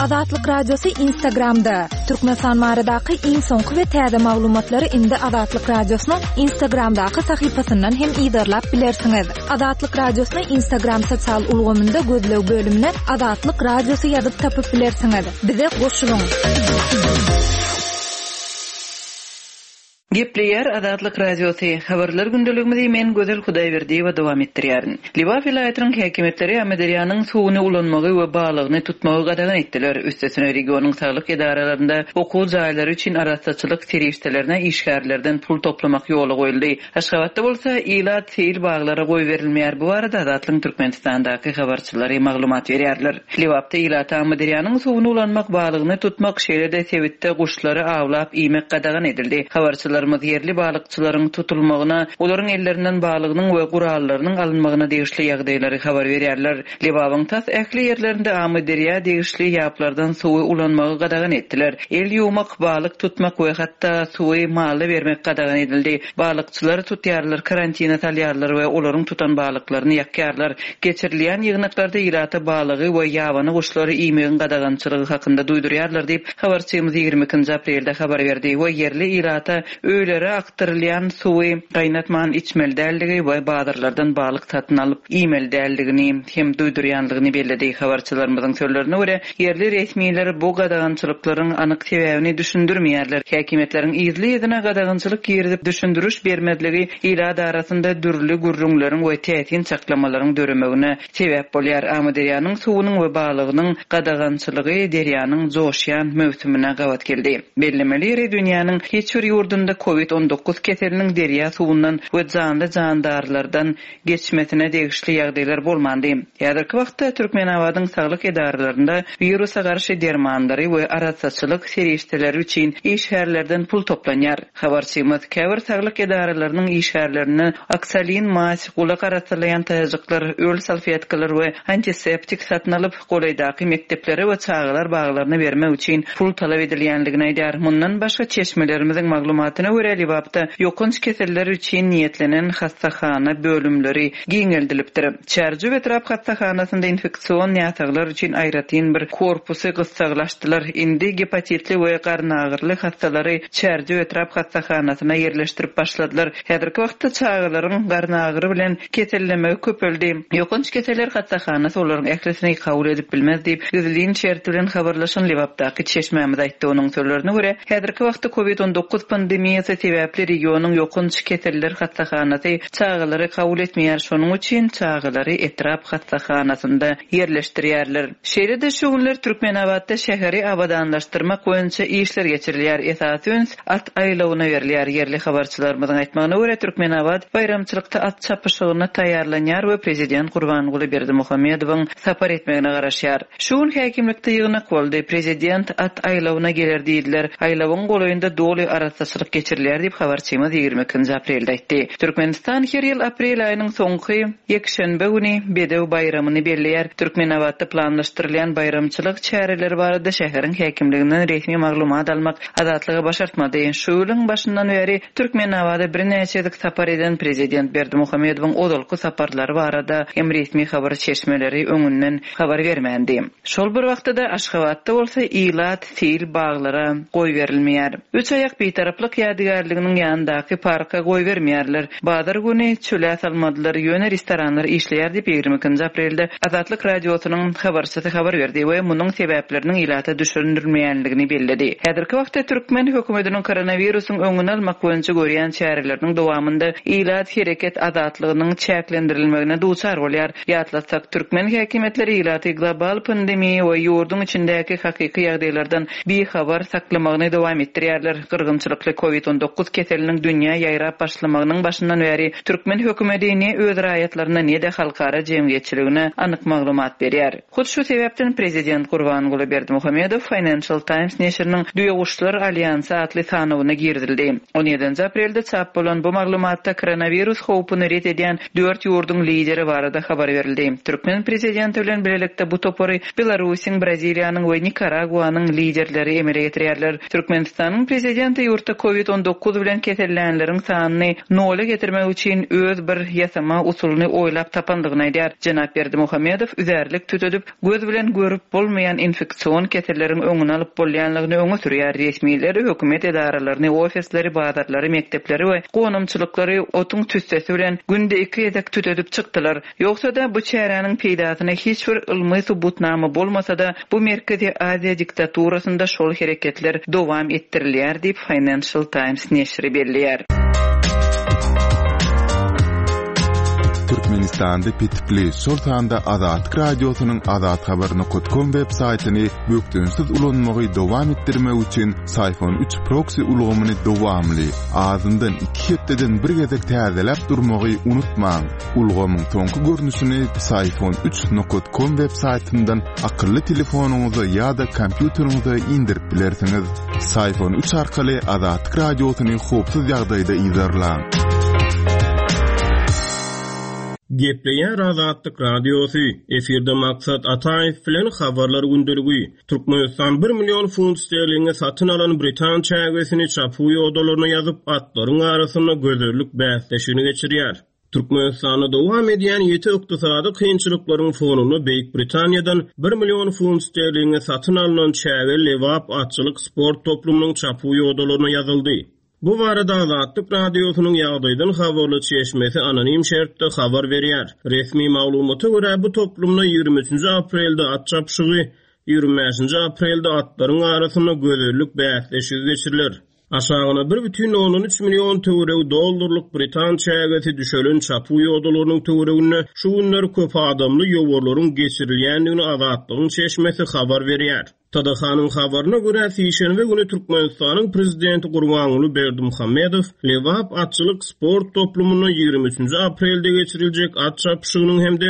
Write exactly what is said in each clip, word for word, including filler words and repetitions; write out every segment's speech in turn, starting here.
Azatlyk Radiosy Instagramda. Türkmenistan baradaky iň soňky we täze maglumatlary indi Azatlyk Radiosynyň Instagramdaky sahypasyndan hem yzarlap bilersiňiz. Azatlyk Radiosyny Instagram sosial ulgamynda gözleg bölümine Azatlyk Radiosy ýazyp tapyp bilersiňiz. Bize goşulyň. Gepleýär Azatlyk Radiosy. Habarlar gündeligimizi men Gözel Hudaýberdiýewa dowam etdirýärin. Lebap welaýatynyň häkimiýetleri Amyderýanyň suwuny ulanmagy we balygyny tutmagy gadagan etdiler. Üstesine regionyň saglyk edaralarynda okuw jaýlary üçin arassaçylyk serişdelerine işgärlerden pul toplamak ýola goýuldy. Aşgabatda bolsa ilat seýil baglara goýberilmeýär. Bu barada Azatlygyň Türkmenistandaky habarçylary maglumat berýärler. Lebapda ilata Amyderýanyň suwuny ulanmak, balygyny tutmak, şeýle-de sebitde guşlary awlap iýmek gadagan edildi. Habarçylarymyz ýerli balykçylaryň tutulmagyna, olaryň ellerinden balygynyň we gurallarynyň alynmagyna degişli ýagdaýlary habar berýärler. Lebabyň tas ähli ýerlerinde Amyderýa degişli ýaplardan suwy ulanmagy gadagan etdiler. El ýuwmak, balyk tutmak we hatda suwy mala bermek gadagan edildi. Balykçylary tutýarlar, karantina salýarlar we olaryň tutan balyklaryny ýakýarlar. Geçirilýän ýygnaklarda ilata balygy we ýabany guşlary iýmegiň gadagançylygy hakynda duýdurýarlar diýip, habarçymyz ýigrimi ikinji aprelde habar berdi we ýerli ilata öýlere akdyrylýan suwy gaýnatman içmeli däldigi we bazarlardan balyk satyn alyp iýmeli däldigini hem duýdurýanlygyny belledi. Habarçylarymyzyň sözlerine görä, ýerli resmiler bu gadagançylyklaryň anyk sebäbini düşündirmeýärler. Häkimiýetleriň yzly-yzyna gadagançylyk girizip düşündiriş bermezligi ilat arasynda dürli gürrüňleriň we täsin çaklamalaryň döremegine sebäp bolýar. Amyderýanyň suwunyň we balygynyň gadagançylygy derýanyň joşýan möwsümine gabat geldi. Bellemeli ýeri dünýäniň hiç bir ýurdunda COVID on dokuz keseliniň derýa suwundan we janly jandarlardan geçmesine degişli ýagdaýlar bolmandy. Häzirki wagtda Türkmenabadyň saglyk edaralarynda wirusa garşy dermanlary we arassaçylyk serişdeleri üçin işgärlerden pul toplanýar. Habarçymyz käbir saglyk edaralarynyň işgärlerine oksalin mas, gulak arassalaýan taýajyklar, öl salfetkalar we antiseptik satyn alyp, golaýdaky mekdeplere we çagalar baglaryna bermek üçin pul talap edilýänligini aýdar. Mundan başga çeşmelerimiziň maglumatyna görä Lebapda ýokanç keseller üçin niýetlenen hassahana bölümleri giňeldilipdir. Çärjew etrap hassahanasynda infeksion näsaglar üçin aýratyn bir korpusy gyssaglaşdylar. Indi gepatitli we garynagyrly hassalary Çärjew etrap hassahanasyna ýerleşdirip başladylar. Häzirki wagtda çagalaryň garynagyrly bilen kesellemegi köpeldi. Ýokanç keseller hassahanasy olaryň ählisini kabul edip bilmez diýip, gizlin şert bilen habarlaşan Lebapdaky çeşmämiz aýtdy. Onuň sözlerine görä, häzirki wagtda COVID on dokuz pandemiýasy sebäpli regionyň ýokanç keseller hassahanasy çagalary kabul etmeýär. Şonuň üçin çagalary etrap hassahanasynda ýerleşdirýärler. Şeýle-de şu günler Türkmenabatda şäheri abadanlaşdyrmak boýunça işler geçirilýär. Esasy üns at aýlawyna berilýär. Ýerli habarçylarymyzyň aýtmagyna görä, Türkmenabat baýramçylykda at çapyşygyna taýýarlanýar we prezident Gurbanguly Berdimuhamedowyň sapar etmegine garaşýar. Şu gün häkimlikde ýygnak boldy. Prezident at aýlawyna geler diýdiler. Aýlawyň golaýynda doly arassaçylyk geçirilýär diýip habarçymyz ýigrimi ikinji aprelde aýtdy. Türkmenistan her ýyl aprel aýynyň soňky ýekşenbe güni Bedew baýramyny belleýär. Türkmenabatda planlaşdyrylýan baýramçylyk çäreleri barada şäheriň häkimliginden resmi maglumat almak Azatlyga başartmady. Şu ýylyň başyndan bäri Türkmenabada birnäçe sapar eden prezident Berdimuhamedowyň ozalky saparlary barada hem resmi habar çeşmeleri öňünden habar bermändi. Şol bir wagtda da Aşgabatda bolsa ilat seýil baglara goýberilmeýär. Üç aýak bitaraplyk ýadygärliginiň ýanyndaky parka goýbermeýärler. Bazar güni çöle salmadylar, ýöne restoranlar işleýär diýip ýigrimi ikinji aprelde Azatlyk Radiosynyň habarçysy habar berdi we munuň sebäpleriniň ilata düşündirilmeýänligini belledi. Häzirki wagtda türkmen hökümetiniň koronawirusyň öňüni almak boýunça görýän çäreleriniň dowamynda ilat hereket azatlygynyň çäklendirilmegine duçar bolýar. Ýatlatsak, türkmen häkimiýetleri ilaty global pandemiýa we ýurduň içindäki hakyky ýagdaýlardan bihabar saklamagyny dowam etdirýärler. Gyrgynçylykly COVID on dokuz keseliniň dünýä ýaýrap başlamagynyň başyndan bäri türkmen hökümeti ne öz raýatlaryna ne-de halkara jemgyýetçiligine anyk maglumat berýär. Hut şu sebäpden prezident Gurbanguly Berdimuhamedow Financial Times neşiriniň Düýeguşlar Alýansy atly sanawyna girizildi. on ýedinji aprelde çap bolan bu maglumatda koronavirus howpuny ret edýän dört ýurduň lideri barada habar berildi. Türkmen prezidenti bilen birlikde bu topary Belarusiň, Braziliýanyň we Nikaraguanyň liderleri emele getirýärler. Türkmenistanyň prezidenti ýurtda COVID on dokuz bilen kesellänleriň sanyny nola getirmek üçin öz bir ýasama usulyny oýlap tapandygyny aýdýar. Jenap Berdimuhamedow üzärlik tütedip, göz bilen görüp bolmaýan infeksion keselleriň öňüni alyp bolýanlygyny öňe sürýär. Resmiler hökümet edaralaryny, ofisleri, bazarlary, mekdepleri we gonamçylyklary otuň tüssesi bilen günde iki gezek tütedip çykdylar. Ýogsa-da bu çäräniň peýdasyna hiç bir ylmy subutnama bolmasa-da, bu Merkezi Aziýa diktaturasynda şol hereketler dowam etdirilýär diýip Financial Times neşiri belleýär. Türkmenistanda petikli, şol sanda Azatlyk Radiosynyň azathabar nokta com web saýtyny bökdençsiz ulanmagy dowam etdirmek üçin Syfon üç proxy ulgamyny dowamly, azyndan iki hepdeden bir gezek täzeläp durmagy unutmaň. Ulgamyň soňky görnüşini Syfon üç nokta com web saýtyndan akylly telefonyňyza ýa-da kompýuteriňize indirip bilersiňiz. Syfon üç arkaly Azatlyk Radiosyny howpsuz ýagdaýda yzarlaň. Gepleýär Azatlyk Radiosy, efirde Maksat Ataýew bilen habarlar gündeligi. Türkmenistan bir million funt sterlinge satyn alan Britan çägesini çapuw ýodalaryna ýazyp, atlaryň arasynda gözellik bäsleşigini geçirýär. Türkmenistanda dowam edýän ýeti ykdysady kynçylyklaryň fonunda Beýik Britaniýadan bir million funt sterlinge satyn alynan çäge Lebap atçylyk sport toplumynyň çapuw ýodalaryna ýazyldy. Bu barada Azatlyk Radiosynyň ýagdaýdan habarly çeşmesi anonim şertde habar berýär. Resmi maglumata görä bu toplumda ýigrimi üçünji aprelde at çapyşygy, ýigrimi bäşinji aprelde atlaryň arasynda gözellik bäsleşigi geçiriler. Aşagyna bir bütin ondan üç million töweregi dollarlyk Britan çägesi düşelen çapuw ýodalarynyň töwereginde şu günler köp adamly ýowarlaryň geçirilýändigini Azatlygyň çeşmesi habar berýär. Tadahan'ın habarına göre Sişenbe günü Türkmenistan'ın prezidenti Gurbanguly Berdimuhamedow Lebap atçylyk sport toplumunda ýigrimi üçünji aprelde geçiriljek at çapyşygynyň hem de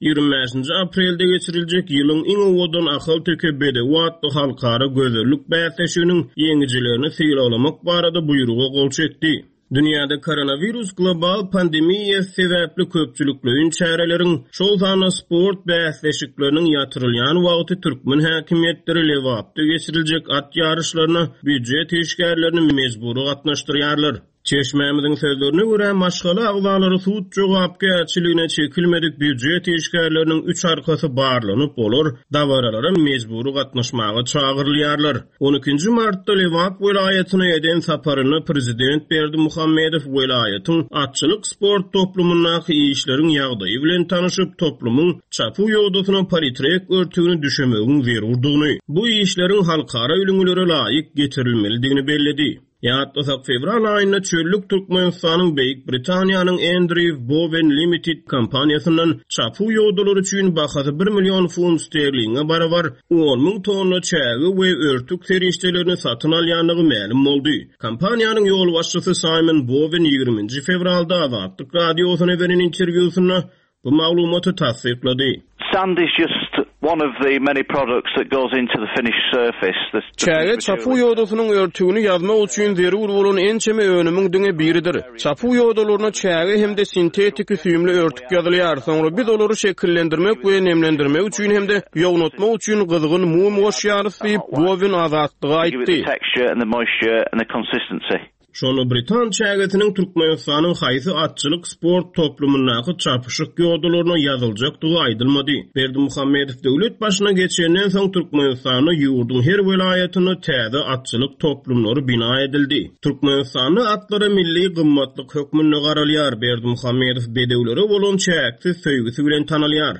ýigrimi bäşinji aprelde geçiriljek ýylyň iň owadan Ahalteke bedewi atly halkara gözellik bäsleşiginiň ýeňijilerini sylaglamak barada buýruga gol çekdi. Dünýäde koronavirus global pandemiýa sebäpli köpçülikleýin çäreleriň, şol sanda sport bäsleşikleriniň ýatyrylýan wagty türkmen häkimiýetleri Lebapda geçiriljek at ýaryşlaryna býujet işgärlerini mejbury gatnaşdyrýarlar. Çeşmämiziň sözlerine görä maşgala agzalary sud jogapkärçiligine çekilmedik býujet işgärleriniň üç arkasy barlanyp, olar dabaralara mejbury gatnaşmaga çagyrylýarlar. on ikinji martda Lebap welaýatyna eden saparynda prezident Berdimuhamedow welaýatyň atçylyk sport toplumyndaky işleriň ýagdaýy bilen tanyşyp, toplumyň çapuw ýodasyna politrek örtügini düşemegiň zerurdygyny, bu işleriň halkara ülňülere laýyk getirilmelidigini belledi. Ýatlasak fevral aýynda çöllük Türkmenistanyň Beýik Britaniýanyň Andrew Bowen Limited kompaniýasyndan çapuw ýodalary üçin bahasy bir million funt sterlinge barabar on müň tonna çäge we örtük serişdelerini satyn alýandygy mälim boldy. Kompaniýanyň ýolbaşçysy Simon Bowen ýigriminji fevralda Azatlyk Radiosyna beren interwýusynda bu maglumaty tassyklady. Sand is just one of the many products that goes into the finished surface. The, the Çäge çapuw ýodasynyň örtügini ýazmak üçin zerur bolan ençeme önümiň diňe biridir. Çapuw ýodalaryna çäge hem-de sintetiki süýümli örtük ýazylýar. Soňra biz olary şekillendirmek we nemlendirmek üçin hem-de ýognatmak üçin gyzgyn mum goşýarys diýip Bowen Azatlyga Give it the aýtdy. texture and the moisture and the consistency. Şonda Britan çägesiniň Türkmenistanyň haýsy atçylyk sport toplumyndaky çapyşyk ýodalaryna ýazyljakdygy aýdylmady. Berdimuhamedow döwlet başyna geçenden soň Türkmenistanda ýurduň her welaýatynda täze atçylyk toplumlary bina edildi. Türkmenistanda atlara milli gymmatlyk hökmünde garalýar. Berdimuhamedow bedewlere bolan çäksiz söýgüsi bilen tanalýar.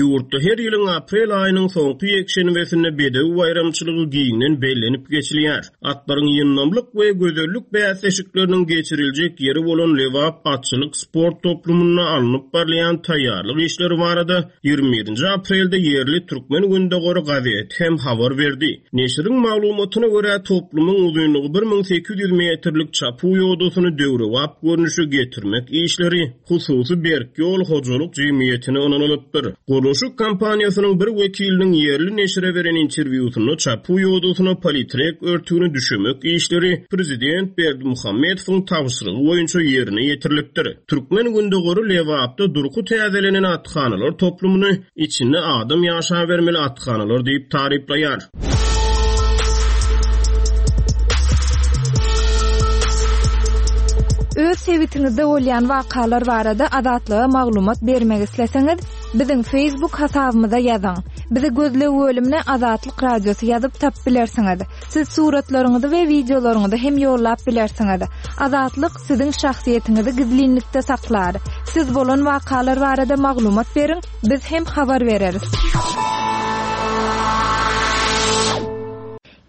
Ýurtda her ýylyň aprel aýynyň soňky ýekşenbesinde bedew baýramçylygy giňden bellenip geçilýär. Atlaryň ýyndamlyk we gözellik bäsleşikleriniň geçiriljek ýeri bolan Lebap atçylyk sport toplumynda alnyp barylýan taýýarlyk işleri barada ýigrimi birinji aprelde ýerli Türkmen Gündogary gazeti hem habar berdi. Neşiriň maglumatyna görä toplumyň uzynlygy bir müň sekiz ýüz metrlik çapuw ýodasyny döwrebap görnüşe getirmek işleri hususy Berk ýol hojalyk jemgyýetine ynanylypdyr. Gurluşyk kompaniýasynyň bir wekiliniň ýerli neşire beren interwýusynda çapuw ýodasyna politrek örtügini düşemek işleri prezident Berdimuhamedowyň tabşyrygy boýunça ýerine ýetirilipdir. Türkmen Gündogary Lebapda durky täzelenen athanalar toplumyny içinde adam ýaşa bermeli athanalar diýip taryplaýar. Öz sebitiňizde bolýan wakalar barada Azatlyga maglumat bermek isleseňiz, biziň Facebook hasabymyza ýazyň. Bizi gözleg bölümine Azatlyk Radiosy ýazyp tapyp bilersiňiz. Siz suratlaryňyzy we wideolaryňyzy hem ýollap bilersiňiz. Azatlyk siziň şahsyýetiňizi gizlinlikde saklar. Siz bolan wakalar barada maglumat beriň, biz hem habar bereris.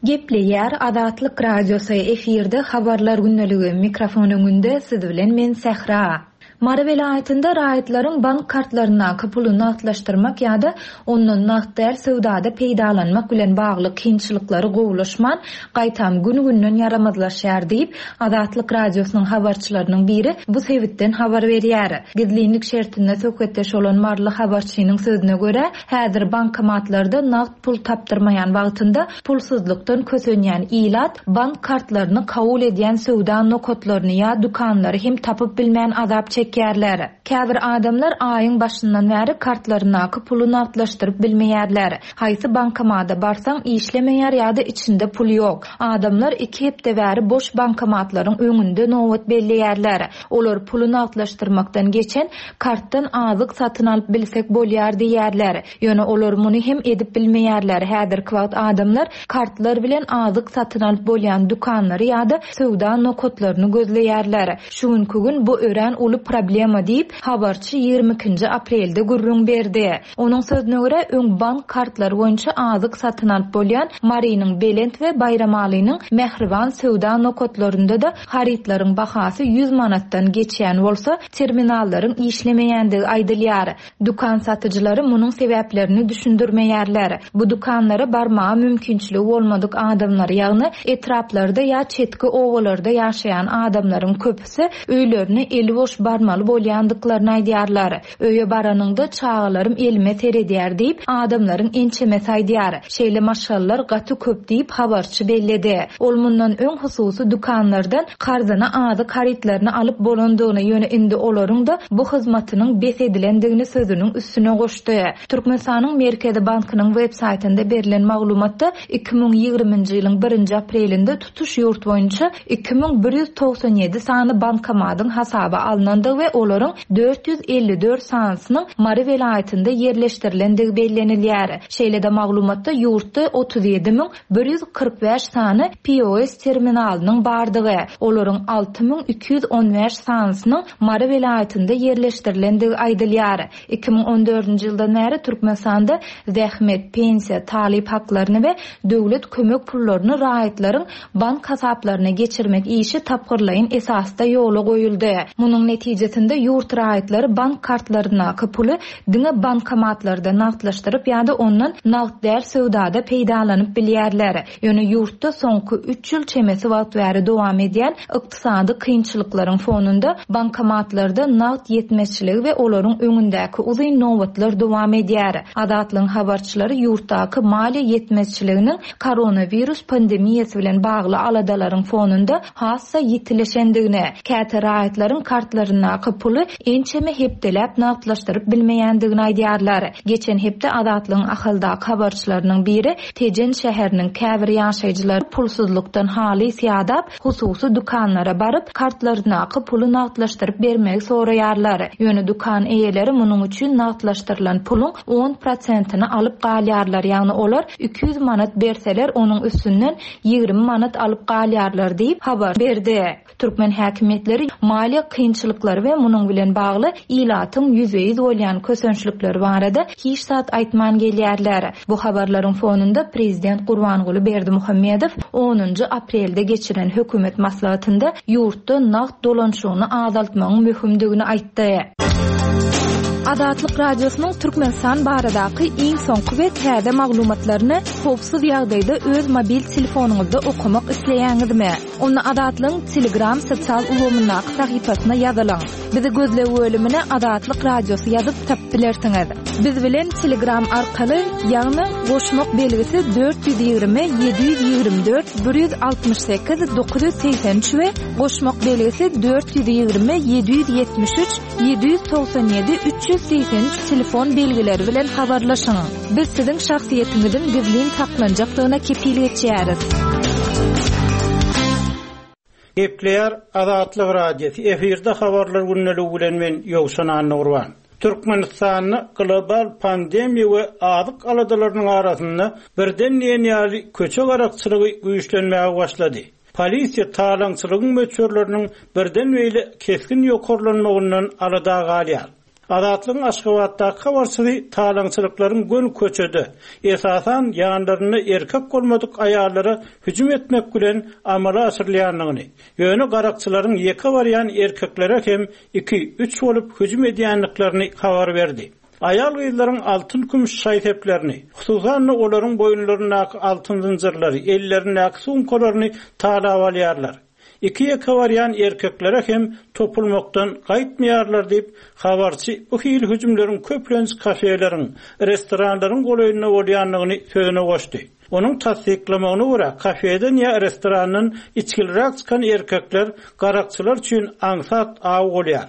Gepleýär Azatlyk Radiosy efirde habarlar gündeligi mikrofon öňünde siz bilen men Sähra. Mary welaýatynda raýatlaryň bank kartlaryndaky puly nagtlaşdyrmak ýa-da ondan nagt däl söwdada peýdalanmak bilen bagly kynçylyklary gowulaşman, gaýtam gün-günden ýaramazlaşýar diýip, Azatlyk Radiosynyň habarçylarynyň biri bu sebitden habar berýär. Gizlinlik şertinde söhbetdeş bolan Maryly habarçynyň sözüne görä, häzir bankomatlarda nagt pul tapdyrmaýan wagtynda pulsuzlykdan kösenýän ilat bank kartlaryny kabul edýän söwda nokatlaryny ýa dükanlary hem tapyp bilmän azap çekýärler. Käbir adamlar aýyň başyndan bäri kartlaryndaky puly nagtlaşdyryp bilmeýärler. Haýsy bankomata barsaň işlemeýär ýa-da içinde pul ýok. Adamlar iki hepde bäri boş bankomatlaryň öňünde nobat belleýärler. Olar puly nagtlaşdyrmakdan geçen kartdan azyk satyn alyp bilsek bolýar diýýärler. Ýöne olar muny hem edip bilmeýärler. Häzirki wagt adamlar kartlar bilen azyk satyn alyp bolýan dükanlary ýa-da söwda nokatlaryny gözleýärler. Şu günkü gün bu örän uly problema diýip, habarçy ýigrimi ikinji aprelde gürrüň berdi. Onuň sözüne görä, öň bank kartlary boýunça azyk satyn alyp bolýan Marynyň Belent we Baýramalynyň Mähriban söwda nokatlarynda da harytlaryň bahasy ýüz manatdan geçýän bolsa, terminallaryň işlemeýändigi aýdylýar. Dükan satyjylary munuň sebäplerini düşündirmeýärler. Bu dükanlara barmaga mümkinçiligi bolmadyk adamlar, ýagny etraplarda ýa çetki obalarda ýaşaýan adamlaryň köpüsi öýlerine eli boş barmaly bolýandyklaryny aýdýarlar. Öýe baranyňda çagalarym elime seredýär diýip, adamlaryň ençemesi aýdýar. Şeýle maşgalalar gaty köp diýip habarçy belledi. Ol mundan öň hususy dükanlardan karzyna azyk harytlaryny alyp bolandygyny, ýöne indi olaryň da bu hyzmatynyň bes edilendigini sözüniň üstüne goşdy. Türkmenistanyň Merkezi Bankynyň web saýtynda berlen maglumatda iki müň ýigriminji ýylyň birinji aprelinde tutuş ýurt boýunça iki müň bir ýüz togsan ýedi sany bankomatyň hasaba alnandygy we olaryň dört ýüz elli dört sanysynyň Mary welaýatynda ýerleşdirilendigi bellenilýär. Şeýle-de maglumatda ýurtda otuz ýedi müň bir ýüz kyrk bäş sany P O S terminalynyň bardygy, olaryň alty müň iki ýüz on bäş sanysynyň Mary welaýatynda ýerleşdirilendigi aýdylýar. Iki müň on dördünji ýyldan bäri Türkmenistanda zähmet, pensiýa, talyp haklaryny we döwlet kömek pullaryny raýatlaryň bank hasaplaryna geçirmek işi tapgyrlaýyn esasda ýola goýuldy. Munuň netijesinde ýurt raýatlary bank kartlaryndaky puly diňe bankomatlarda nagtlaşdyryp ýa-da ondan nagt däl söwdada peýdalanyp bilýärler. Ýöne ýurtda soňky üç ýyl çemesi wagt bäri dowam edýän ykdysady kynçylyklaryň fonunda bankomatlarda nagt ýetmezçiligi we olaryň öňündäki uzyn nobatlar dowam edýär. Azatlygyň habarçylary ýurtdaky maliýe ýetmezçiliginiň koronawirus pandemiýasy bilen bagly aladalaryň fonunda hassa ýitileşendigini, käte raýatlaryň kartlaryndaky puly ençeme hepdeläp nagtlaşdyryp bilmeýändigini aýdýarlar. Geçen hepde Azatlygyň Ahaldaky habarçylarynyň biri Tejen şäheriniň käbir ýaşaýjylary pulsuzlykdan halys ýadap, hususy dükanlara baryp kartlaryndaky puly nagtlaşdyryp bermegi soraýarlar. Ýöne dükan eýeleri munuň üçin nagtlaşdyrylan puluň on prosentini alyp galýarlar. Ýagny olar iki ýüz manat berseler, onuň üstünden ýigrimi manat alyp galýarlar diýip habar berdi. Türkmen häkimiýetleri maliýe kynçylyklary we munuň bilen bagly ilatyň ýüzbe-ýüz bolýan kösençlikleri barada hiç zat aýtman gelýärler. Bu habarlaryň fonunda Prezident Gurbanguly Berdimuhamedow onunjy aprelde geçiren hökümet maslahatynda ýurtda nagt dolanşygyny azaltmagyň möhümdigini aýtdy. Azatlyk Radiosynyň Türkmenistan baradaky iň soňky we täze maglumatlaryny howpsuz ýagdaýda öz mobil telefonyňyzda okamak isleýäňizmi? Onda Azatlygyň Telegram sosial ulgamyndaky sahypasyna ýazylyň. Bizi gözleg bölümine Azatlyk Radiosy ýazyp tapyp bilersiňiz. Biz bilen Telegram arkaly, ýagny goşmak belgisi dört ýüz ýigrimi, ýedi ýüz ýigrimi dört, bir ýüz altmyş sekiz, dokuz ýüz segsen üç we goşmak belgisi dört ýüz ýigrimi, ýedi ýüz ýetmiş üç, ýedi ýüz togsan ýedi, üç ýüz segsen üç telefon belgileri bilen habarlaşyň. Biz siziň şahsyýetiňiziň gizlin saklanjakdygyna kepil geçýäris. Gepleýär Azatlyk Radiosy, efirde habarlar gündeligi bilen men Ýowşan Annagurban. Türkmenistanda global pandemiýa we azyk aladalarynyň arasynda birden diýen ýaly köçe garakçylygy güýçlenmäge başlady. Polisiýa talaňçylygyň möçberleriniň birden beýle kesgin ýokarlanmagyndan alada galýar. Azatlygyň Aşgabatdaky habarçysy talaňçylyklaryň gün köçede, esasan ýanlarynda erkek bolmadyk aýallara hüjüm etmek bilen amala aşyrylýandygyny, ýöne garakçylaryň ýeke barýan erkeklere hem iki üç bolup hüjüm edýändiklerini habar berdi. Aýal gyzlaryň altyn kümüş şaý-seplerini, hususan olaryň boýunlaryndaky altyn zynjyrlary, ellerindäki sumkalaryny talap alýarlar. Iki ýeke barýan erkeklere hem topulmakdan gaýtmaýarlar diýip, habarçy bu hili hüjümleriň köplenç kafeleriň, restoranlaryň golaýynda bolýandygyny sözüne goşdy. Onuň tassyklamagyna görä, kafeden ýa restorandan içgiliräk çykan erkekler garakçylar üçin aňsat aw bolýar.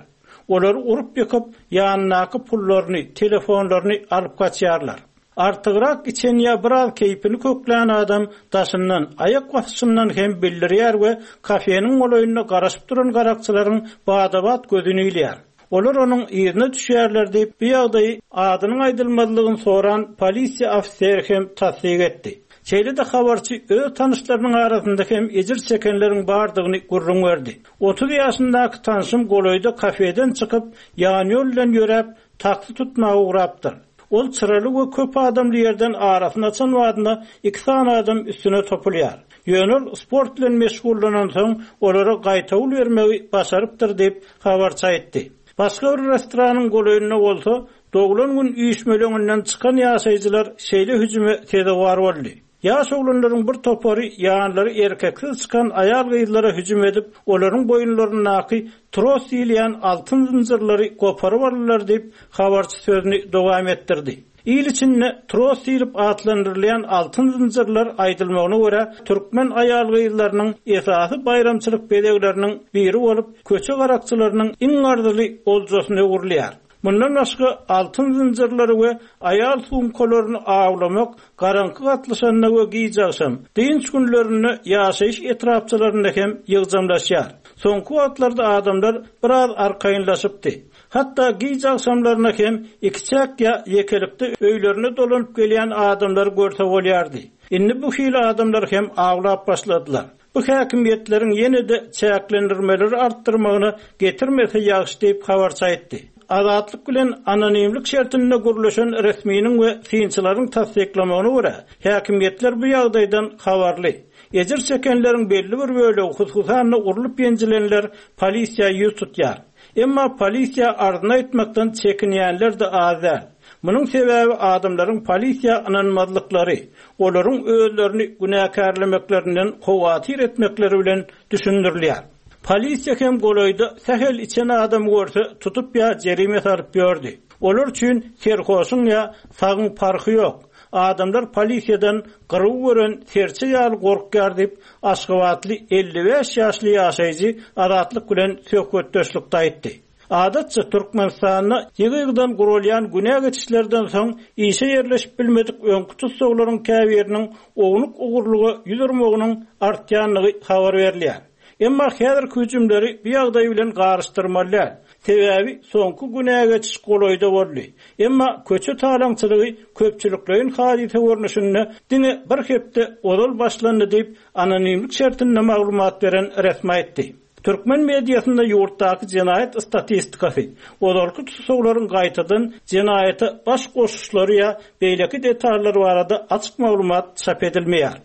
Olary urup ýykyp, ýanyndaky pullaryny, telefonlaryny alyp gaçýarlar. Artygrak içen ýa biraz keýpini köklän adam daşyndan, aýak basyşyndan hem bildirýär we kafeniň golaýynda garaşyp duran garakçylaryň badabat gözüni ilýär. Olar onuň yzyna düşýärler diýip, bu ýagdaýy adynyň aýdylmazlygyny soran polisiýa ofiseri hem tassyk etdi. Şeýle-de habarçy öz tanyşlarynyň arasynda hem ejir çekenleriň bardygyny gürrüň berdi. Otuz ýaşyndaky tanşym golaýda kafeden çykyp, ýan ýol bilen ýöräp, taksi tutmaga ugrapdyr. Ol çyraly we köp adamly ýerden arasyny açan wagtynda iki sany adam üstüne topulýar. Ýöne ol sport bilen meşgullanan soň olara gaýtawul bermegi başarypdyr diýip habarçy aýtdy. Başga bir restoranyň golaýynda bolsa, doglan gün üýşmeleňinden çykan ýaşaýjylar şeýle hüjüme sezewar boldy. Ýaş oglanlaryň bir topary ýanlary erkeksiz çykan aýal gyzlara hüjüm edip, olaryň boýunlaryndaky tros diýilýän altyn zynjyrlary goparyp aldylar diýip, habarçy sözüni dowam etdirdi. Il içinde tros diýlip atlandyrylýan altyn zynjyrlar aýdylmagyna görä, türkmen aýal gyzlarynyň esasy baýramçylyk bezegleriniň biri bolup, köçe garakçylarynyň iň arzyly oljasyna öwrülýär. Mundan başga altyn zynjyrlary we aýal sumkalaryny awlamak garaňky gatlyşanda we giç agşam, dynç günlerinde ýaşaýyş etrapçalarynda hem ýygjamlaşýar. Soňky wagtlarda adamlar biraz arkaýynlaşypdy. Hatda giç agşamlaryna hem iki çäk ýa ýekelikde öýlerine dolanyp gelýän adamlar görse bolýardy. Indi bu hili adamlar hem awlap başladylar. Bu häkimiýetleriň ýene-de çäklendirmeleri artdyrmagyna getirmese ýagşy diýip habarçy aýtdy. Azatlyk bilen anonimlik şertinde gürleşen resminiň we synçylaryň tassyklamagyna görä, häkimiýetler bu ýagdaýdan habarly. Ejir çekenleriň belli bir bölegi, hususan urlup ýenjilenler polisiýa ýüz tutýar. Emma polisiýa arzyny aýtmakdan çekinýänler de az däl. Munuň sebäbi adamlaryň polisiýa ynanmazlyklary, olaryň özlerini günäkärlemeklerinden howatyr etmekleri bilen düşündirilýär. Polisiýa hem golaýda sähel içen adam görse tutup ýa jerime salyp ýördi. Olar üçin serhoşuň ýa sagyň parhy ýok. Adamlar polisiýadan gyryw gören serçe ýaly gorkýar diýip, Aşgabatly elli bäş ýaşly ýaşaýjy Azatlyk bilen söhbetdeşlikde aýtdy. Adatça Türkmenistanda ýygy-ýygydan gurulýan günä geçişlerden soň işe ýerleşip bilmedik öňki tussaglaryň käbiriniň ownuk ogurlyga ýüz urmagynyň artýandygy habar berilýär. Emma häzirki hüjümleri bu ýagdaý bilen garyşdyrmaly däl. Sebäbi soňky günä geçiş golaýda boldy. Emma köçe talaňçylygy köpçülikleýin hadysa görnüşinde diňe bir hepde ozal başlandy diýip, anonimlik şertinde maglumat beren resmi aýtdy. Türkmen mediasynda ýurtdaky jenaýat statistikasy, ozalky tussaglaryň gaýtadan jenaýata baş goşuşlary ýa beýleki detallar barada açyk maglumat çap edilmeýär.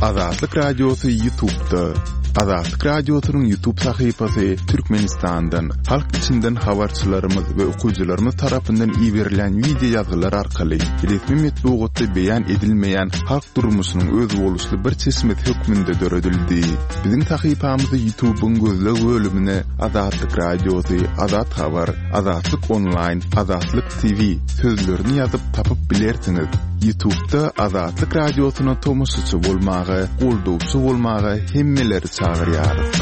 Azatlyk Radiosy YouTube'da. Azatlyk Radiosynyň YouTube sahypasy Türkmenistandan, halk içinden habarçylarymyz we okyjylarymyz tarapyndan iberilen video ýazgylar arkaly resmi metbugatda beýan edilmeýän halk durmuşynyň özboluşly bir çeşmesi hökmünde döredildi. Biziň sahypamyzy YouTube'yň gözleg bölümine Azatlyk Radiosy, Azat Habar, Azatlyk Online, Azatlyk T V sözlerini ýazyp tapyp bilersiňiz. YouTube'da Azatlyk Radiosyna tomaşaçy bolmaga, goldawçy bolmaga hemmeleri çagyrýarys.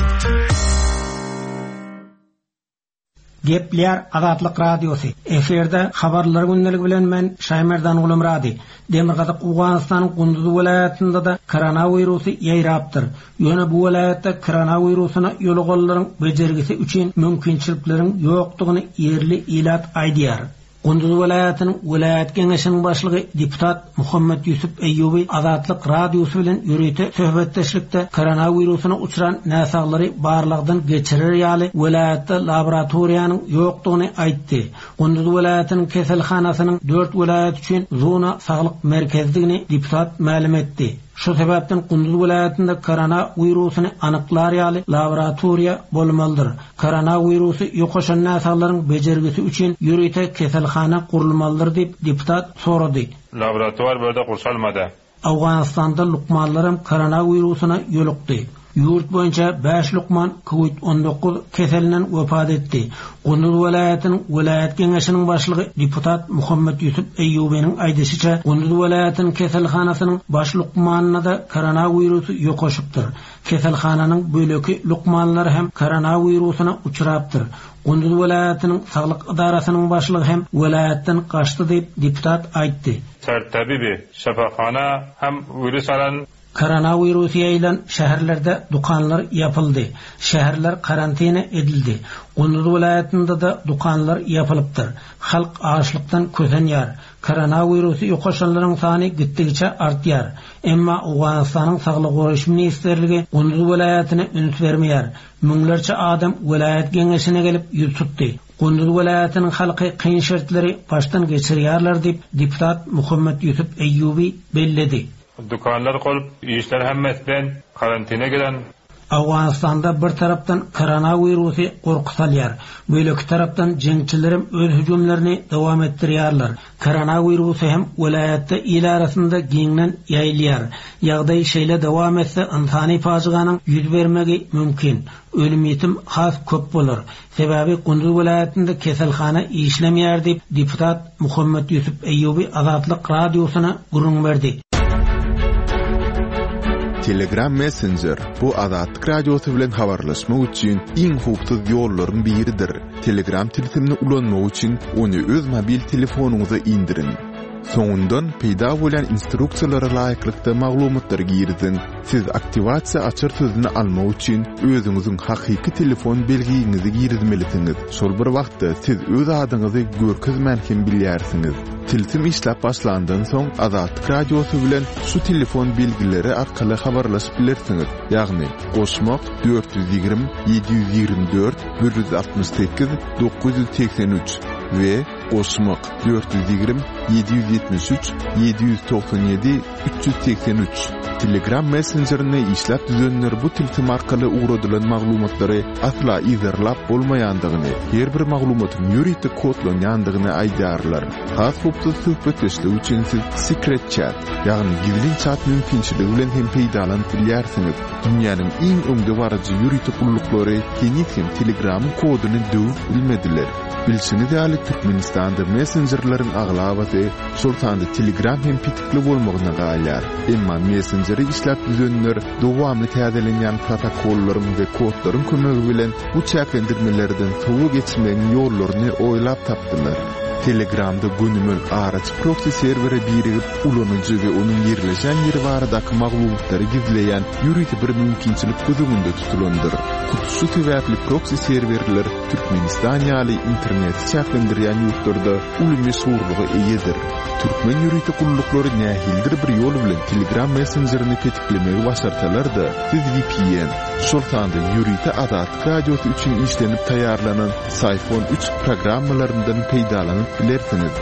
Gepleýär Azatlyk Radiosy. Efirde habarlar gündeligi bilen men Şaýmerdan Gulumrady. Demirgazyk Owganystanyň Gunduz welaýatynda-da koronawirusy ýaýrapdyr. Ýöne bu welaýatda koronawirusyna ýoluganlaryň bejergisi üçin mümkinçilikleriň ýokdugyny ýerli ilat aýdýar. Gunduz welaýatynyň welaýat geňeşiniň başlygy deputat Muhammet Ýusuf Eýýubi Azatlyk Radiosy bilen ýörite söhbetdeşlikde koronawirusyna uçran näsaglary barlagdan geçirer ýaly welaýatda laboratoriýanyň ýokdugyny aýtdy. Gunduz welaýatynyň keselhanasynyň dört welaýat üçin zona saglyk merkezdigini deputat mälim etdi. Şu sebäpden Gunduz welaýatynda koronawirusyny anyklar ýaly laboratoriýa bolmalydyr. Koronawirusy ýokaşan näsaglaryň bejergisi üçin ýörite keselhana gurulmalydyr diýip deputat sorady. Laboratuvar bölde gurşalmady. Owganystanda lukmanlaram koronawirusyna ýolukdy. Ýurt boýunça bäş lukman COVID on dokuz keselinden wepat etdi. Gunduz welaýatynyň welaýat geňeşiniň başlygy deputat Muhammet Ýusuf Eýýubiniň aýdyşyça Gunduz welaýatynyň keselhanasynyň baş lukmanyna da koronawirusy ýokaşypdyr. Keselhananyň böleki lukmanlary hem koronawirusyna uçrapdyr. Gunduz welaýatynyň saglyk idarasynyň başlygy hem welaýatdan gaçdy diýip deputat aýtdy. Sertabibi şafahana hem virus alan Koronawirusy ýaýylan şäherlerde dukanlar ýapyldy. Şäherler karantina edildi. Gunduz welaýatynda da dukanlar ýapylypdyr. Halk açlykdan kösenýär. Koronawirusy ýokaşanlaryň sany gitdigiçe artýar. Emma Owganystanyň Saglyk goraýyş ministrligi Gunduz welaýatyna üns bermeýär. Müňlerçe adam welaýat geňeşine gelip ýüz tutdy. Gunduz welaýatynyň halky kyn şertleri başdan geçirýärler diýip deputat Muhammet Ýusuf Eýýubi belledi. Dukanlar kolup, işler hemmesi ben karantina giren. Owganystanda bir tarapdan koronawirusy gorky salýar. Beýleki tarapdan jeňçilerim öz hüjümlerini dowam etdirýärler. Koronawirusy hem welaýatda il arasynda giňden ýaýylýar. Ýagdaý şeýle dowam etse ynsany pajyganyň ýüz bermegi mümkin. Ölüm ýetim has köp bolar. Sebäbi Gunduz welaýatynda keselhana işlemeýär diýip deputat Muhammet Ýusuf Eýýubi Azatlyk Radiosyna gürrüň berdi. Telegram Messenger bu Azatlyk Radiosy bilen habarlaşmak üçin iň howpsuz ýollaryň biridir. Telegram tilsimini ulanmak üçin ony öz mobil telefonyňyza indiriň. Soňundan peýda bolan instruksiýalara laýyklykda maglumatlary giriziň. Siz aktiwasiýa açar sözüni almak üçin özüňiziň hakyky telefon belgiňizi girizmelisiňiz. Şol bir wagtda siz öz adyňyzy görkezmän hem bilýärsiňiz. Tilsim işläp başlandan soň Azatlyk Radiosy bilen şu telefon belgileri arkaly habarlaşyp bilersiňiz. Ýagny goşmak dört ýüz ýigrimi, ýedi ýüz ýigrimi dört, bir ýüz altmyş sekiz, dokuz ýüz seksen üç we goşmak dört ýüz ýigrimi, ýedi ýüz ýetmiş üç, ýedi ýüz togsan ýedi, üç ýüz seksen üç. Telegram messenjerini işläp düzenler bu tilsim arkaly ugradylan maglumatlary asla yzarlap bolmaýandygyny, her bir maglumatyň ýörite kodlanýandygyny aýdýarlar. Has howpsuz söhbetdeşlik üçin siz Secret Chat, ýagny gizlin chat mümkinçiligi bilen hem peýdalanyp bilýärsiňiz. Dünýäniň iň öňde baryjy ýörite gulluklary heniz hem Telegramyň koduny döwüp bilmediler. Bilşiňiz ýaly Türkmenistanda messenjerleriň aglabasy, şol sanda Telegram hem petikli bolmagyna galýar. Emma messenjeri işläp düzenler dowamly täzelenýän protokollaryň we kodlaryň kömegi bilen bu çäklendirmelerden sowa geçmegiň ýollaryny oýlap tapdylar. Telegramda gönümel araç proxy serwere birigip ulanyjy we onuň ýerleşen ýeri baradaky maglumatlary gizleýän ýörite bir mümkinçilik göz öňünde tutulandyr. Hut şu sebäpli proxy serwerler Türkmenistan ýaly interneti çäklendirýän ýurtlarda uly meşhurlyga eýedir. Türkmen ýörite gulluklary nähilidir bir ýol bilen Telegram messenjerini petiklemegi başarsalar-da, siz V P N, şol sanda ýörite Azatlyk Radiosy üçin işlenip taýýarlanan Syphon üç programmalaryndan peýdalanyp bilersiňiz.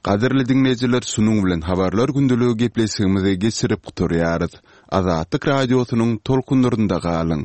Gadyrly dinleýjiler, şunuň bilen habarlar gündeligi gepleşigimizi geçirip gutarýarys. Azatlyk Radiosynyň tolkunlarynda galyň.